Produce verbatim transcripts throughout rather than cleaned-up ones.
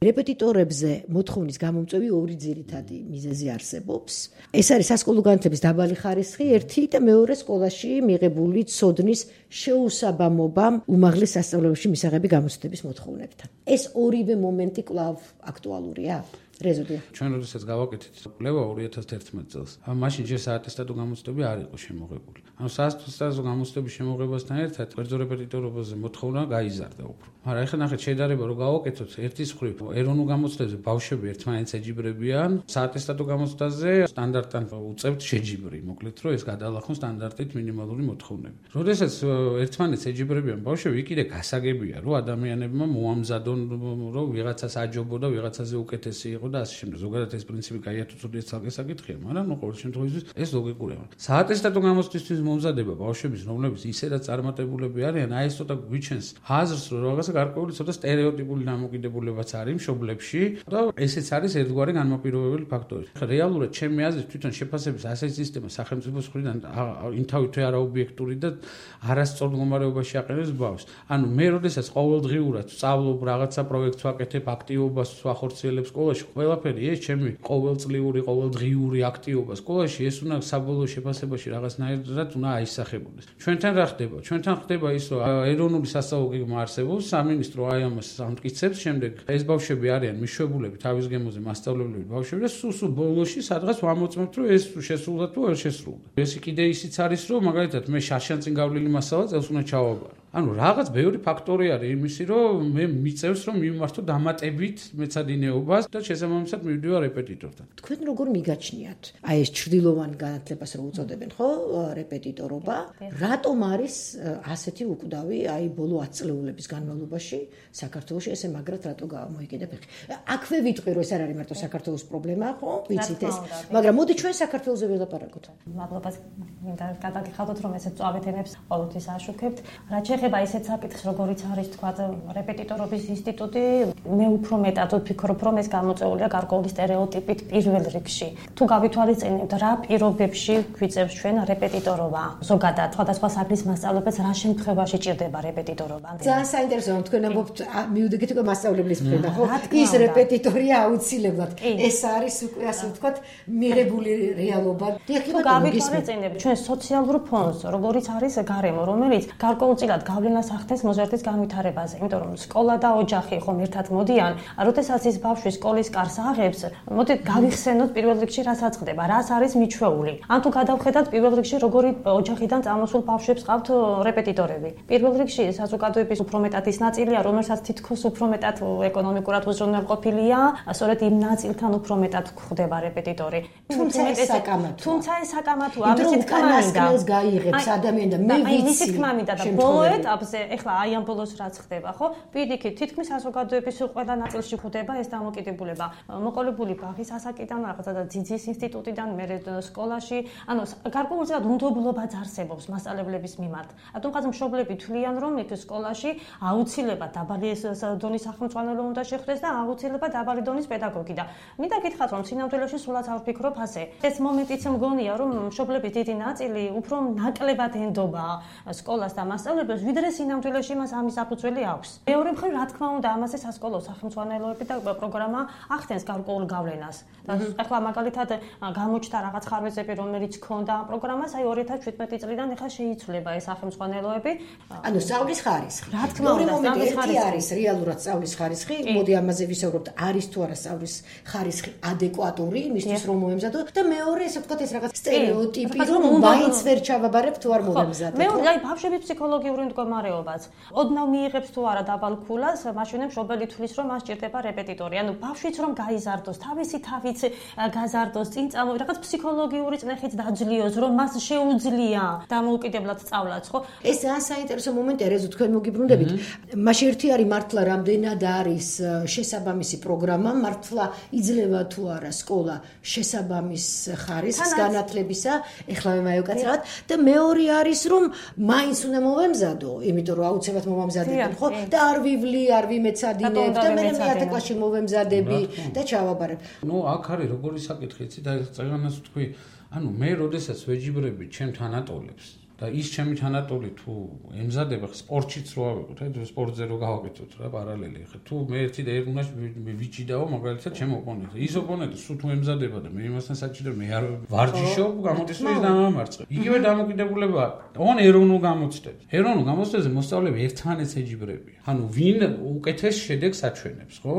რეპეტიტორებზე მოთხოვნის გამომწვევი ორი ძირითადი მიზეზი არსებობს. ეს არის სასკოლო განათლების დაბალი ხარისხი, ერთი და მეორე სკოლაში მიღებული ცოდნის შეუსაბამობა უმაღლეს სასწავლებელში მისაღები გამოცდების მოთხოვნებთან. ეს ორივე მომენტი კვლავ აქტუალურია. რეზოდია. ჩვენ როდესაც გავაკეთეთ კვლევა ორი ათას თერთმეტ წელს, მაშინ ჯერ საატესტატო გამოცდები არ იყო შემოღებული. ანუ საატესტატო გამოცდების შემოღებასთან ერთად კერძო რეპეტიტორობაზე მოთხოვნა გაიზარდა უფრო. მაგრამ ეხლა ნახეთ შედარება რომ გავაკეთოთ ერთის მხრივ ეროვნულ გამოცდებზე ბავშვები ერთმანეთს ეჯიბრებიან, საატესტატო გამოცდაზე სტანდარტთან უწევთ შეჯიბრი, მოკლედ რომ ეს გადაალახონ სტანდარტით მინიმალური მოთხოვნები. როდესაც ერთმანეთს ეჯიბრებიან ბავშვები, კიდე გასაგებია რომ ადამიანებმა მოამზადონ რომ ვიღაცას აჯობო და ვიღაცაზე უკეთესი იყო და ასე შემდეგ. ზოგადად ეს პრინციპი კაია თუ ცუდია ცალკე საკითხია, მაგრამ ნუ ყოველ შემთხვევაში ეს ლოგიკურია. საატესტატო გამოცდისთვის მომზადება ბავშვების, რომლებიც ისედაც წარმატებულები არიან, აი ეს ცოტა გვიჩენს აზრს, რომ რაღაცა გარკვეული ცოტა სტერეოტიპული დამოკიდებულებაც არის მშობლებში და ესეც არის ერთგვარი განმაპირობებელი ფაქტორი. რეალურად ჩემი აზრით თვითონ შეფასების ასეთი სისტემა სახელმწიფოს მხრიდან ინთავითვე არაობიექტური და არასწორ მდგომარეობაში აყენებს ბავშვს. ანუ მე როდესაც ყოველდღიურად სწავლობ რაღაცა პროექტს ვაკეთებ, აქტივობას ვახორციელებ სკოლაში, ყველაფერი ეს ჩემი ყოველწლიური, ყოველდღიური აქტივობა სკოლაში ეს უნდა საბოლოო შეფასებაში რაღაცნაირად უნდა აისახებოდეს. ჩვენთან რა ხდება? ჩვენთან ხდება ის, რომ ეროვნული სასწავლო გეგმა არსებობს, სამინისტრო აი ამას ამტკიცებს, შემდეგ ეს ბავშვები არიან მიშვებულები თავის გემოზე მასწავლებლები ბავშვები და სულ-სულ ბოლოში სადღაც ვამოწმებთ, რომ ეს შესრულდა თუ არ შესრულდა. ეს კიდე ისიც არის, რომ მაგალითად მე შარშან წინ გავლილი მასალა წელს უნდა ჩავაბარო. ანუ რაღაც ბევრი ფაქტორი არის იმისი, რომ მე მიწევს, რომ მივმართო დამატებით მეცადინეობას და შესაბამისად მივდივარ რეპეტიტორთან. თქვენ როგორ მიგაჩნიათ? აი ეს ჩრდილოვანი განათლებას რო უწოდებენ, ხო, რეპეტიტორობა, რატომ არის ასეთი უკვდავი, აი ბოლო ათი წლეულების განმავლობაში საქართველოში ესე მაგრად რატო გამოიკიდა ფეხი? აქვე ვიტყვი, რომ ეს არ არის მარტო საქართველოს პრობლემა, ხო? ვიცით ეს, მაგრამ მოდი ჩვენ საქართველოზე ველაპარაკოთ. მადლობას მინდა გადაგიხადოთ, რომ ესეც წვავით ენებს ყოველთვის აშუქებთ. რაც ეხება ისეთ საკითხს, როგორიც არის თქვა რეპეტიტორობის ინსტიტუტი, მე უფრო მეტად ვფიქრობ, რომ ეს გამოწვეულია გარკვეული სტერეოტიპით პირველ რიგში. თუ გავითვალისწინებთ, რა პირობებში გვიწევს ჩვენ რეპეტიტორობა, ზოგადად სხვადასხვა საკითხის მასწავლებელს რა შემთხვევაში ჭირდება რეპეტიტორობა? ძალიან საინტერესოა, თქვენ ამბობთ, მივდიგეთ უკვე მასწავლებლის მხრიდან, ხო? ის რეპეტიტორია აუცილებლად. ეს არის უკვე ასე ვთქვათ, მიღებული რეალობა. თუ გავითვალისწინებთ ჩვენ სოციალურ ფონს, როგორიც არის გარემო, რომელიც გარკვეულწილად გავლენას ახდენს მოზარდის განვითარებაზე, იმიტომ რომ სკოლა და ოჯახი ხომ ერთად მოდიან, როდესაც ის ბავშვი სკოლის კარს აღებს, მოდით გავიხსენოთ პირველ რიგში რასაც ხდება, რას არის მიჩვეული. ან თუ გადავხედათ პირველ რიგში როგორი ოჯახიდან წამოსულ ბავშვებს ყავთ რეპეტიტორები. პირველ რიგში საზოგადოების უფრო მეტად ის ნაწილია, რომელსაც თითქოს უფრო მეტად ეკონომიკურად უზრუნველყოფილია, სწორედ იმ ნაწილთან უფრო მეტად გვხვდება რეპეტიტორი. თუმცა ეს საკამათოა. თუმცა ეს საკამათოა, ამისი თქმა მინდა. გაიღებს ადამიანი და მე ვიცი. მისი თქმა მინდა და ბოლო ეტაპზე, ეხლა აი ამ ბოლოს რაც ხდება, ხო? პირიქით, თითქმის საზოგადოების ყველა ნაწილში ხდება ეს დამოკიდებულება. მოყოლებული ბაღის ასაკიდან, რაღაცა და ძიძის ინსტიტუტიდან, მერე სკოლაში, ანუ გარკვეულწილად უნდობლობაც არსებობს მასწავლებლების მიმართ. რატომღაც მშობლები თვლიან, რომ იქ სკოლაში აუცილებლად დაბალი დონის სახელმძღვანელო უნდა შეხვდეს და აუცილებლად დაბალი დონის პედაგოგი და მინდა გითხრათ, რომ სინამდვილეში სულაც არ ვფიქრობ ასე. ეს მომენტიც მგონია, რომ მშობლების დიდი ნაწილი უფრო ნაკლებად ენდობა სკოლას და მასწავლებელს, ვიდრე სინამდვილეში მას ამის საფუძველი აქვს. მეორე მხრივ, რა თქმა უნდა, ამაზე სასკოლო სახელმძღვანელოები და პროგრამა ახდენს გარკვეულ გავლენას. და ახლა მაგალითად გამოჩნდა რაღაც ხარვეზები, რომელიც ჰქონდა პროგრამას, აი ორი ათას შვიდმეტი წლიდან ახლა შეიცვლება ეს სახელმძღვანელოები. ანუ სწავლის ხარისხი. რა თქმა უნდა, სწავლის ხარისხი არის რეალურად სწავლის ხარისხი. მოდი ამაზე ვისაუბროთ, არის თუ არა სწავლის ხარისხი ადეკვატური იმისთვის, რომ მოემზადო და მეორე, ესე ვთქვათ, ეს რაღაც სტერეოტიპი, რომ მაინც ვერ ჩავაბარებ თუ არ მომემზადებ. მეორე, აი ბავშვების ფსიქოლოგიური მდგომარეობაც. ოდნავ მიიღებს თუ არა დაბალ ქულას, მაშინ მშობელი თვლის, რომ მას ჭირდება რეპეტიტორი. ანუ ბავშვიც რომ გაიზარდოს, თავისი თავიც გაზარდოს, წინ წამო რაღაც ფსიქოლოგიური წნეხით დაძლიოს, რომ მას შეუძლია დამოუკიდებლად სწავლაც, ხო? ეს ძალიან საინტერესო მომენტია, რეზო თქვენ მოგიბრუნდებით. მაშინ ერთი არის მართლა რამდენად არის შესაბამისი პროგრამა, მართლა იძლევა თუ არა სკოლა შესაბამის ხარისხს განათლებისა, ეხლა მე მაიოკაცრავად და მეორე არის რომ მაინც უნდა მოვემზადო, იმიტომ რომ აუცილებლად მოვამზადებენ, ხო? და არ ვივლი, არ ვიმეცადინებ და მე მეათე კლასში მოვემზადები და ჩავაბარებ. ნუ აქ არის როგორი საკითხი, იცი და წეგანას ვთქვი, ანუ მე როდესაც ვეჯიბრები ჩემ თანატოლებს და ის ჩემი თანატოლი თუ ემზადება სპორტშიც რო ავიღოთ, სპორტზე რო გავაკეთოთ რა პარალელი. ხა თუ მე ერთი და ერთ უნდა ვიჭიდაო მაგალითად ჩემ ოპონენტს. ის ოპონენტი სულ თუ ემზადება და მე იმასთან საჭირო მე არ ვარჯიშობ, გამოდის რომ ის დამამარცხე. იგივე დამოკიდებულება ოღონ ეროვნულ გამოცდებს. ეროვნულ გამოცდებზე მოსწავლეები ერთმანეთს ეჯიბრებიან. ანუ ვინ უკეთეს შედეგს აჩვენებს, ხო?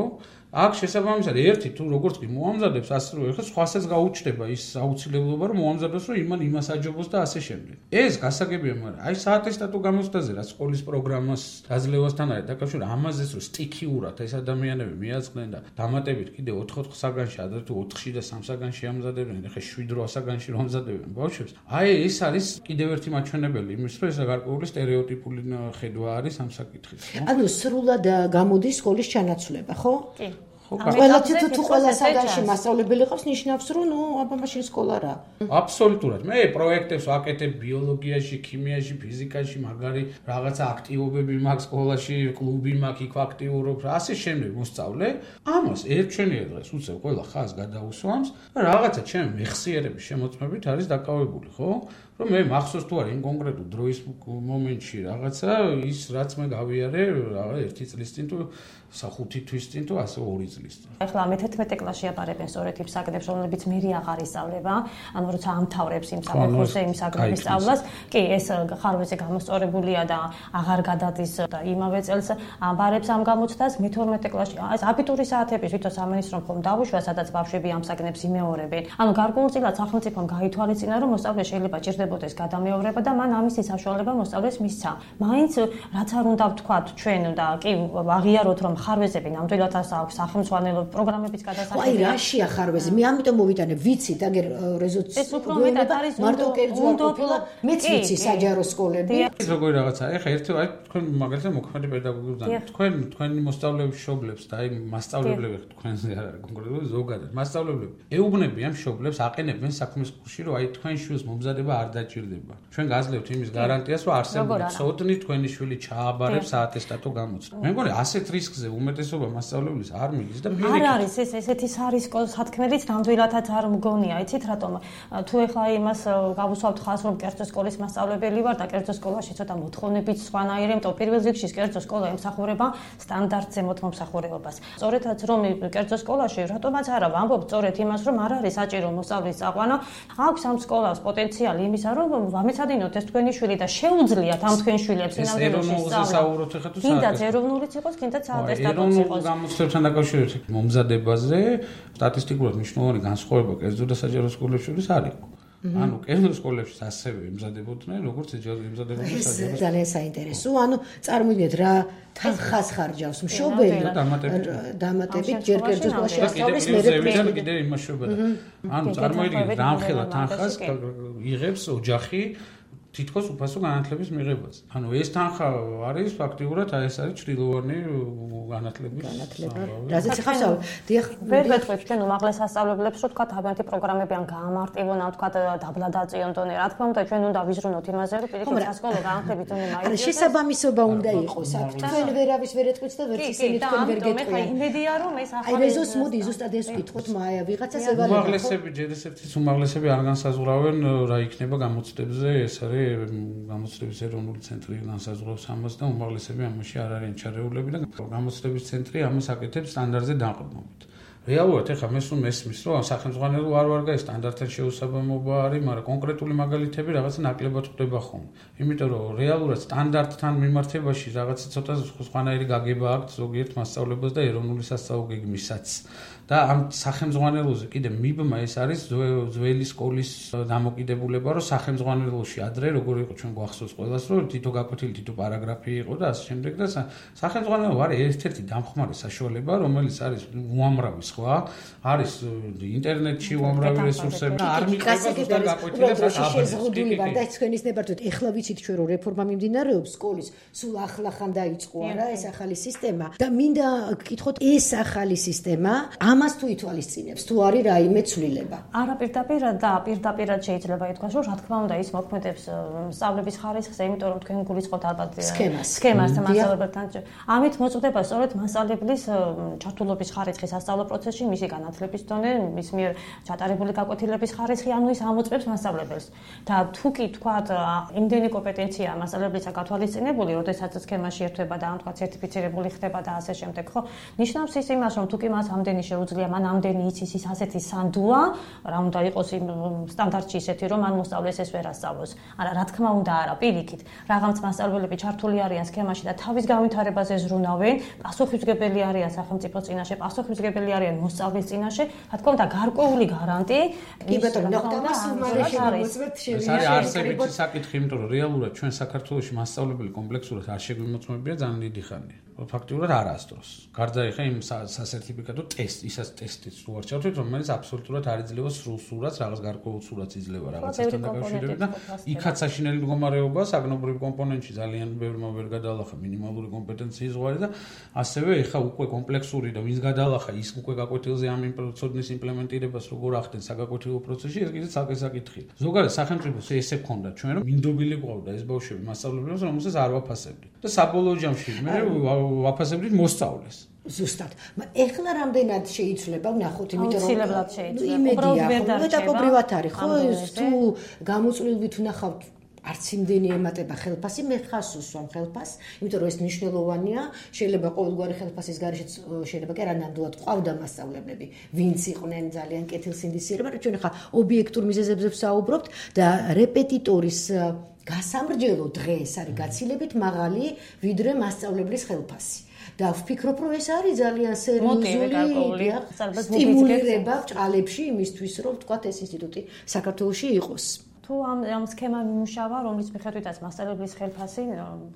აქ შესაბამისად ერთი თუ როგორც კი მოამზადებს ასე რომ ეხლა სხვასაც გაუჩნდება ის აუცილებლობა რომ მოამზადოს რომ იმან იმას აჯობოს და ასე შემდეგ. ეს გასაგებია, მაგრამ აი საატესტატო გამოცდაზე რაც სკოლის პროგრამას დაძლევასთან არის დაკავშირებული ამაზეც რომ სტიქიურად ეს ადამიანები მიაწყდნენ და დამატებით კიდე ოთხ-ოთხ საგანში ადრე თუ ოთხში და სამ საგანში ამზადებდნენ, ეხლა შვიდ-რვა საგანში რომ ამზადებენ ბავშვებს. აი ეს არის კიდევ ერთი მაჩვენებელი იმის რომ ეს გარკვეული სტერეოტიპული ხედვა არის ამ საკითხის. ანუ სრულად გამოდის სკოლის ჩანაცვლება, ხო? კი. ყველა თუ თუ ყველა საგანში მასწავლებელი ყავს ნიშნავს რომ ნუ აბა მაშინ სკოლა რა. აბსოლუტურად. მე პროექტებს ვაკეთებ ბიოლოგიაში, ქიმიაში, ფიზიკაში, მაგარი რაღაცა აქტივობები მაქვს სკოლაში, კლუბი მაქვს, იქ აქტიურობ, ასე შემდეგ მოსწავლე. ამას ერთჩვენია დღეს უცებ ყველა ხაზს გადაუსვამს და რაღაცა ჩემი მეხსიერების შემოწმებით არის დაკავებული, ხო? რომ მე მახსოვს თუ არა იმ კონკრეტულ დროის მომენტში რაღაცა ის რაც მე გავიარე რაღაც ერთი წლის წინ თუ ხუთი თვის წინ თუ ასე ორი წლის წინ. ეხლა მეთერთმეტე კლასში აბარებენ სწორედ იმ საგნებს, რომლებიც მერი აღარ ისწავლება, ანუ როცა ამთავრებს იმ საფეხურზე იმ საგნების სწავლას, კი ეს ხარვეზე გამოსწორებულია და აღარ გადადის და იმავე წელს აბარებს ამ გამოცდას მეთორმეტე კლასში. ეს აბიტურის საათების თვითონ სამინისტრომ ხომ დავუშვა, სადაც ბავშვები ამ საგნებს იმეორებენ. ანუ გარკვეულწილად სახელმწიფომ გაითვალისწინა, რომ მოსწავლე შეიძლება ჭირდებოდეს გადამეორება და მან ამის საშუალება მოსწავლეს მისცა. მაინც რაც არ უნდა ვთქვათ ჩვენ და კი აღიაროთ რომ ხარვეზები ნამდვილად აქვს სახელმწიფო პროგრამების გადასახადი. აი რაშია ხარვეზი? მე ამიტომ მოვიტანე ვიცით, აგერ რეზოლუცია. ეს უფრო მეტად არის მარტო კერძო ყოფილა, მეც ვიცი საჯარო სკოლები. ეს როგორი რაღაცა? ეხა ერთი აი თქვენ მაგალითად მოქმედი პედაგოგებთან თქვენ თქვენი მოსწავლეების მშობლებს და აი მასწავლებლები თქვენზე არ არის კონკრეტულად ზოგადად მასწავლებლები ეუბნებიან მშობლებს აყენებენ საქმის კურსში რომ აი თქვენ შვილს მომზადება არ დაჭირდება. ჩვენ გაძლევთ იმის გარანტიას რომ არსებული ცოდნი თქვენი შვილი ჩააბარებს საატესტატო გამოცდა. მე მგონი ასეთ რისკზე უმეტესობა მასწავლებლის არ მიდის და არ არის ეს ესეთი სარისკო სათქმელიც ნამდვილადაც არ მგონია. იცით რატომ? თუ ეხლა იმას გავუსვავთ ხაზს რომ კერძო სკოლის მასწავლებელი ვარ და კერძო სკოლაში ცოტა მოთხოვნებით სხვანაირი, იმიტომ პირველ რიგში კერძო სკოლა ემსახურება სტანდარტზე მომსახურებობას. სწორედაც რომ კერძო სკოლაში რატომაც არა ვამბობ სწორედ იმას რომ არ არის საჭირო მოსწავლის წაყვანა, აქვს ამ სკოლას პოტენციალი იმისა რომ ვამეცადინოთ ეს თქვენი შვილი და შეუძლიათ ამ თქვენ შვილებს ინავდელში სწავლა. კიდაც ეროვნულიც იყოს, კიდაც საატესტატოც იყოს. ეროვნულ გამოცდებასთან დაკავშირებით მომზადებაზე სტატისტიკურად მნიშვნელოვანი განსხვავება კერძო და საჯარო სკოლებში შორის არ იყო. ანუ კერძო სკოლებში ასევე ემზადებოდნენ, როგორც ემზადებოდნენ საჯარო. ეს ძალიან საინტერესო. ანუ წარმოიდგინეთ რა თანხას ხარჯავს მშობელი დამატებით ჯერ კერძო სკოლაში ასწავლის მერე კიდე იმაშობა. ანუ წარმოიდგინეთ რამხელა თანხას იღებს ოჯახი თითქოს უფასო განათლების მიღებას. ანუ ეს თანხა არის ფაქტიურად აი ეს არის ჭრილოვანი განათლების განათლება. რაზეც ხავსავ, დიახ, ვერ ვეთქვით ჩვენ უმაღლეს სასწავლებლებს, რომ თქვა თავიანთი პროგრამები ან გაამარტივონ, ან თქვა დაბლა დაწიონ დონე. რა თქმა უნდა, ჩვენ უნდა ვიზრუნოთ იმაზე, რომ პირიქით სასკოლო განათლების დონე მაინც შესაბამისობა უნდა იყოს აქ. თქვენ ვერავის ვერ ეთქვით და ვერც ისინი თქვენ ვერ გეტყვიან. მე იმედია რომ ეს ახალი აი რეზოს მოდი ზუსტად ეს ვკითხოთ, მაია ვიღაცას ევალება. უმაღლესები ჯერ ესეთის უმაღლესები არ განსაზღვრავენ რა იქნება გამოცდებზე, ეს არის გამოცდების ეროვნული ცენტრი განსაზღვრავს ამას და უმაღლესები ამაში არ არიან ჩარეულები და გამოცდების ცენტრი ამას აკეთებს სტანდარტზე დაყრდნობით. რეალურად ეხლა მე სულ მესმის რომ სახელმწიფო არ ვარ და სტანდარტთან შეუსაბამობა არის, მაგრამ კონკრეტული მაგალითები რაღაც ნაკლებად ხდება ხოლმე. იმიტომ რომ რეალურად სტანდარტთან მიმართებაში რაღაც ცოტა სხვანაირი გაგება აქვს ზოგიერთ მასწავლებლებს და ეროვნული სასწავლო გეგმისაც. და ამ სახელმძღვანელოზე კიდე მიბმა ეს არის ძველი სკოლის დამოკიდებულება, რომ სახელმძღვანელოში ადრე როგორ იყო ჩვენ გვახსოვს ყველას, რომ თითო გაკვეთილი თითო პარაგრაფი იყო და ასე შემდეგ და სახელმძღვანელო არის ერთ-ერთი დამხმარე საშუალება, რომელიც არის უამრავი სხვა, არის ინტერნეტში უამრავი რესურსები, არ მიყვება ზუსტად გაკვეთილებს შეზღუდული ვარ და თქვენის ნებართვით ეხლა ვიცით ჩვენ რომ რეფორმა მიმდინარეობს სკოლის, სულ ახლახან დაიწყო არა ეს ახალი სისტემა და მინდა გკითხოთ ეს ახალი სისტემა ამას თუ ითვალისწინებს, თუ არის რაიმე ცვლილება. არა პირდაპირ და პირდაპირად შეიძლება ითქვას, რომ რა თქმა უნდა ის მოქმედებს სწავლების ხარისხზე, იმიტომ რომ თქვენ გულისხმობთ ალბათ სქემას. სქემას და მასწავლებელთან. ამით მოწყვეტება სწორედ მასწავლებლის ჩართულობის ხარისხის სასწავლო პროცესში პროცესში, მისი განათლების დონე, მის მიერ ჩატარებული გაკვეთილების ხარისხი, ანუ ის ამოწმებს მასწავლებელს. და თუ კი თქვათ, იმდენი კომპეტენცია მასწავლებლის აკათვალისწინებული, როდესაც სქემაში ერთვება და ამ თქვათ სერტიფიცირებული ხდება და ასე შემდეგ, ხო? ნიშნავს ის იმას, რომ თუ კი მას ამდენი შეუძლია, მან ამდენი იცის ის ასეთი სანდუა, რა უნდა იყოს იმ სტანდარტში ისეთი, რომ მან მოსწავლეს ეს ვერ ასწავლოს. არა, რა თქმა უნდა, არა, პირიქით. რაღაც მასწავლებლები ჩართული არიან სქემაში და თავის განვითარებაზე ზრუნავენ, პასუხისმგებელი არიან სახელმწიფოს წინაშე, პასუხისმგებელი არიან მოსწავლის წინაშე, რა თქმა უნდა, გარკვეული გარანტი. კი ბატონო, ნახტამას უმარეში მოწმებთ შევიდა. ეს არის არსებითი საკითხი, იმიტომ რომ რეალურად ჩვენ საქართველოში მასწავლებელი კომპლექსურად არ შეგვიმოწმებია ძალიან დიდი ხანია. ფაქტიურად არასდროს. გარდა ეხა იმ სასერტიფიკატო ტესტ, ისაც ტესტიც თუ არ ჩავთვლით, რომელიც აბსოლუტურად არ იძლევა სრულ სურათს, რაღაც გარკვეულ სურათს იძლევა რაღაცასთან დაკავშირებით და იქაც საშინელი მდგომარეობა, საგნობრივ კომპონენტში ძალიან ბევრმა ვერ გადაალახა მინიმალური კომპეტენციის ზღვარი და ასევე ეხა უკვე კომპლექსური და ვინც გადაალახა ის უკვე გაკვეთილზე ამ პროცესის იმპლემენტირებას როგორ ახდენ საგაკვეთილო პროცესში, ეს კიდევ საკითხი საკითხია. ზოგადად სახელმწიფოს ესე ქონდა ჩვენ რომ მინდობილი ყავდა ეს ბავშვები მასწავლებლებს, რომელსაც არ ვაფასებდით. და საბოლოო ჯამში მე ვაფასებდით მოსწავლეს. ზუსტად. ეხლა რამდენად შეიცვლება, ვნახოთ, იმიტომ რომ აუცილებლად შეიცვლება. უბრალოდ ვერ დარჩება. მეტაპობრივად არის, ხო? თუ გამოწვლილვით ვნახავთ არც იმდენი ემატება ხელფასი, მე ხას უსვამ ხელფას, იმიტომ რომ ეს მნიშვნელოვანია, შეიძლება ყოველგვარი ხელფასის გარეშეც შეიძლება კი არა ნამდვილად ყავდა მასწავლებლები, ვინც იყვნენ ძალიან კეთილსინდისიერება, რომ ჩვენ ხა ობიექტურ მიზეზებზე ვსაუბრობთ და რეპეტიტორის გასამრჯელო დღეს არის გაცილებით მაღალი, ვიდრე მასწავლებლის ხელფასი. და ვფიქრობ, რომ ეს არის ძალიან სერიოზული სტიმულირება ბრჭყალებში იმისთვის, რომ ვთქვათ ეს ინსტიტუტი საქართველოში იყოს. თუ ამ ამ სქემა მიმუშავა, რომლის მიხედვითაც მასწავლებლის ხელფასი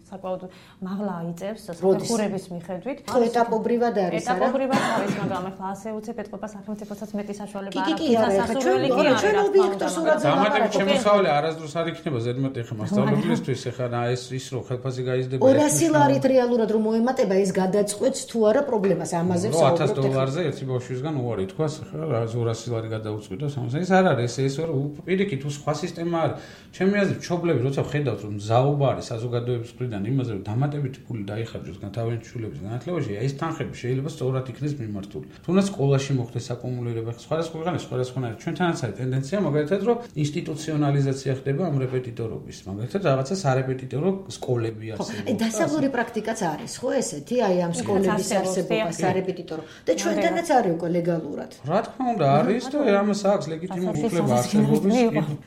საკმაოდ მაღლა აიწევს საფეხურების მიხედვით. ხო, ეტაპობრივად არის, არა? ეტაპობრივად არის, მაგრამ ახლა ასე უცებ ეთყობა სახელმწიფოსაც მეტი საშუალება არ აქვს დასასრულებელი კი არა. ჩვენ ობიექტურ სურათზე დამატებით შემოსავალი არასდროს არ იქნება ზედმეტი ხე მასწავლებლისთვის, ეხლა ეს ის რომ ხელფასი გაიზრდება ორასი ლარით რეალურად რომ მოემატება, ეს გადაწყვეტს თუ არა პრობლემას, ამაზე ვსაუბრობთ. ათას დოლარზე ერთი ბავშვისგან უარი თქვას, ახლა ორასი ლარი გადაუწყვიტოს, ეს არ არის, ეს რომ პირიქით თუ სხვა სისტემა ჩემი აზრით, მშობლები როცა ხედავთ, რომ მზაობა არის საზოგადოების მხრიდან იმაზე, რომ დამატებითი ფული დაიხარჯოს თავიანთი შვილების განათლებაში, ეს თანხები შეიძლება სწორად იქნეს მიმართული. თუნდაც სკოლაში მოხდეს აკუმულირება, სხვადასხვა ქვეყანაში სხვადასხვანაირად. ჩვენთანაც არის ტენდენცია, მაგალითად, რომ ინსტიტუციონალიზაცია ხდება ამ რეპეტიტორობის. მაგალითად, რაღაცა სარეპეტიტორო სკოლები არსებობს. დასავლური პრაქტიკაც არის, ხო ესეთი, აი ამ სკოლების არსებობა, სარეპეტიტორო. და ჩვენთანაც არის უკვე ლეგალურად. რა თქმა უნდა, არის და ამას აქვს ლეგიტიმური უფლება არსებობის.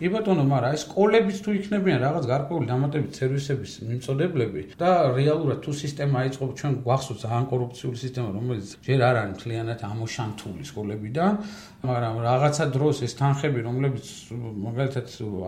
კი ბატონო, მაგრამ ეს სკოლებიც თუ იქნებიან რაღაც გარკვეული დამატებით სერვისების მიმწოდებლები და რეალურად თუ სისტემა აიწყობს, ჩვენ გვახსოვს ძალიან კორუფციული სისტემა, რომელიც ჯერ არ არის მთლიანად ამოშანთული სკოლებიდან, მაგრამ რაღაცა დროს ეს თანხები, რომლებიც მაგალითად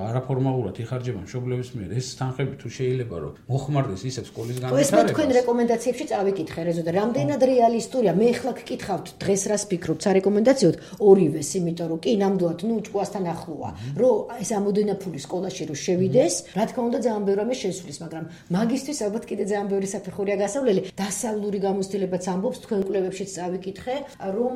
არაფორმალურად იხარჯება მშობლების მიერ, ეს თანხები თუ შეიძლება რომ მოხმარდეს ისევ სკოლის განვითარებას. ეს მე თქვენ რეკომენდაციებში წავიკითხე, რეზო და რამდენად რეალისტურია, მე ახლა გკითხავთ დღეს რას ფიქრობთ სარეკომენდაციოდ ორივეს, იმიტომ რომ კი ნამდვილად ნუ ჭკუასთან ახლოა, რომ ეს ამოდენა ფული სკოლაში რო შევიდეს, რა თქმა უნდა ძალიან ბევრი რამე შესulis, მაგრამ მაგისტრის ალბათ კიდე ძალიან ბევრი საფეხურია გასავლელი. დასავლური გამოცდილებაც ამბობს, თქვენ კვლევებშიც წავიკითხე, რომ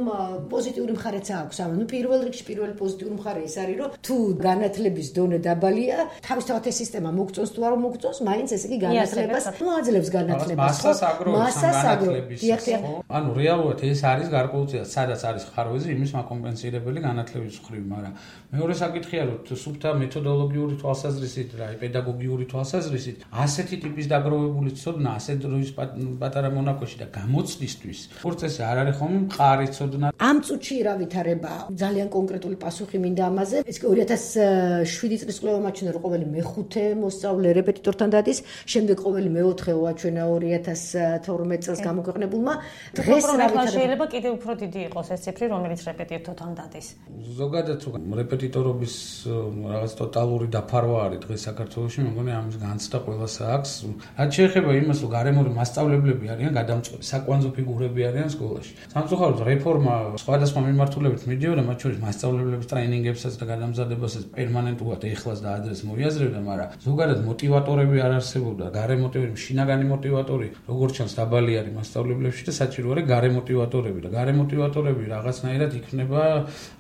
პოზიტიური მხარეც აქვს. ანუ პირველ რიგში პირველი პოზიტიური მხარე ის არის, რომ თუ განათლების დონე დაბალია, თავისთავად ეს სისტემა მოგწონს თუ არ მოგწონს, მაინც ესე იგი განათლებას მოაძლევს განათლებას. მასას აგროვებს განათლების. ანუ რეალურად ეს არის გარკვეულწილად, სადაც არის ხარვეზე იმის მაკომპენსირებელი განათლების მხრივ, მაგრამ მეორე საკითხია, რომ სუფთა მეთოდოლოგიური თვალსაზრისით, რა, პედაგოგიური თვალსაზრისით, ასეთი ტიპის დაგროვებული ცოდნა, ასეთ დროის პატარა მონაკვეთში და გამოცდისთვის, პროცესი არ არის ხომ მყარი ცოდნა. ამ წუთში რა ვითარება? ძალიან კონკრეტული პასუხი მინდა ამაზე. ეს ორი ათას შვიდი წლის კვლევა მაჩვენა, რომ ყოველი მეხუთე მოსწავლე რეპეტიტორთან დადის, შემდეგ ყოველი მეოთხე ვაჩვენა ორი ათას თორმეტ წელს გამოქვეყნებულმა. დღეს რა ვითარება? შეიძლება კიდევ უფრო დიდი იყოს ეს ციფრი, რომელიც რეპეტიტორთან დადის. ზოგადად რეპეტიტორობის რაღაც ტოტალური დაფარვა არის დღეს საქართველოში, მე მგონი ამის განცდა ყველას აქვს. რაც შეეხება იმას, რომ გარემოური მასწავლებლები არიან გადამწყვეტი, საკვანძო ფიგურები არიან სკოლაში. სამწუხაროდ რეფორმა სხვადასხვა მიმართულებით მიდიოდა, მათ შორის მასწავლებლების ტრეინინგებსაც და გადამზადებასაც პერმანენტულად ეხლას და ადრეს მოიაზრებდა, მაგრამ ზოგადად მოტივატორები არ არსებობდა, გარე მოტივატორები, შინაგანი მოტივატორი, როგორც ჩანს დაბალი არის მასწავლებლებში და საჭირო არის გარე მოტივატორები და გარე მოტივატორები რაღაცნაირად იქნება,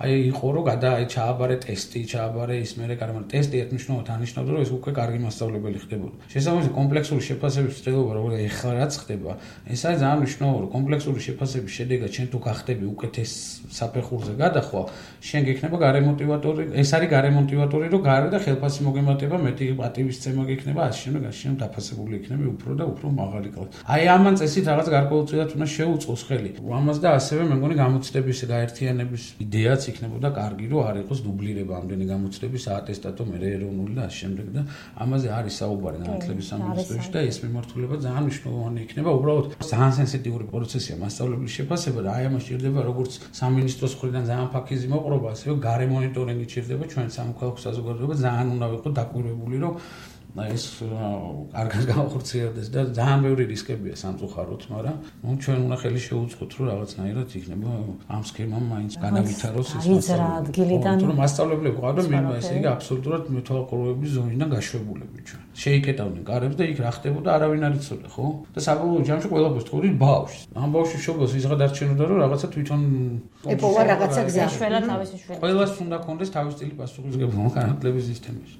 აი იყო რომ გადა აი ჩააბარე ტესტი, ჩააბარე ის მერე კარ მაგრამ ტესტი ერთნიშნულად ანიშნავდა, რომ ეს უკვე კარგი მასწავლებელი ხდებოდა. შესაბამისად, კომპლექსური შეფასების ცდილობა, როგორც ეხლა რაც ხდება, ეს არის ძალიან მნიშვნელოვანი, რომ კომპლექსური შეფასების შედეგად შენ თუ გახდები უკეთეს საფეხურზე გადახვა, შენ გექნება გარემოტივატორი, ეს არის გარემოტივატორი, რომ გარე და ხელფასი მოგემატება, მეტი პატივისცემა გექნება, ასე შემდეგ, ასე შემდეგ დაფასებული იქნება უფრო და უფრო მაღალი კლასი. აი ამან წესით რაღაც გარკვეულწილად უნდა შეუწყოს ხელი. ამას და ასევე მე მგონი გამოცდების გაერთიანების იდეაც იქნებოდა კარგი, რომ არ იყოს დუბლირება ამდენი გამოცდების საატესტატო მე ეროვნული და ასე შემდეგ და ამაზე არის საუბარი განათლების სამინისტროში და ეს მიმართულება ძალიან მნიშვნელოვანი იქნება. უბრალოდ ძალიან სენსიტიური პროცესია მასწავლებლის შეფასება და აი ამას ჭირდება როგორც სამინისტროს მხრიდან ძალიან ფაქიზი მოყრობა, ასევე გარე მონიტორინგი ჭირდება ჩვენ სამოქალაქო საზოგადოება ძალიან უნდა ვიყო დაკვირვებული, რომ ეს კარგად გავხორციელდეს და ძალიან ბევრი რისკებია სამწუხაროდ, მაგრამ ნუ ჩვენ უნდა ხელი შეუწყოთ, რომ რაღაცნაირად იქნება ამ სქემამ მაინც განავითაროს ეს მასწავლებლები. თუ მასწავლებლები ყავდა მე ესე იგი აბსოლუტურად მეთვალყურეობის ზონიდან გაშვებულები ჩვენ. შეიკეტავდნენ კარებს და იქ რა ხდებოდა არავინ არ იცოდა, ხო? და საბოლოო ჯამში ყველაფერს თქურით ბავშვს. ამ ბავშვის შობილს ვიღაც არჩენოდა, რომ რაღაცა თვითონ ეპოვა რაღაცა გზა. შველა თავისი შვილი. ყველას უნდა კონდეს თავის სტილი პასუხისმგებლობა განათლების სისტემაში.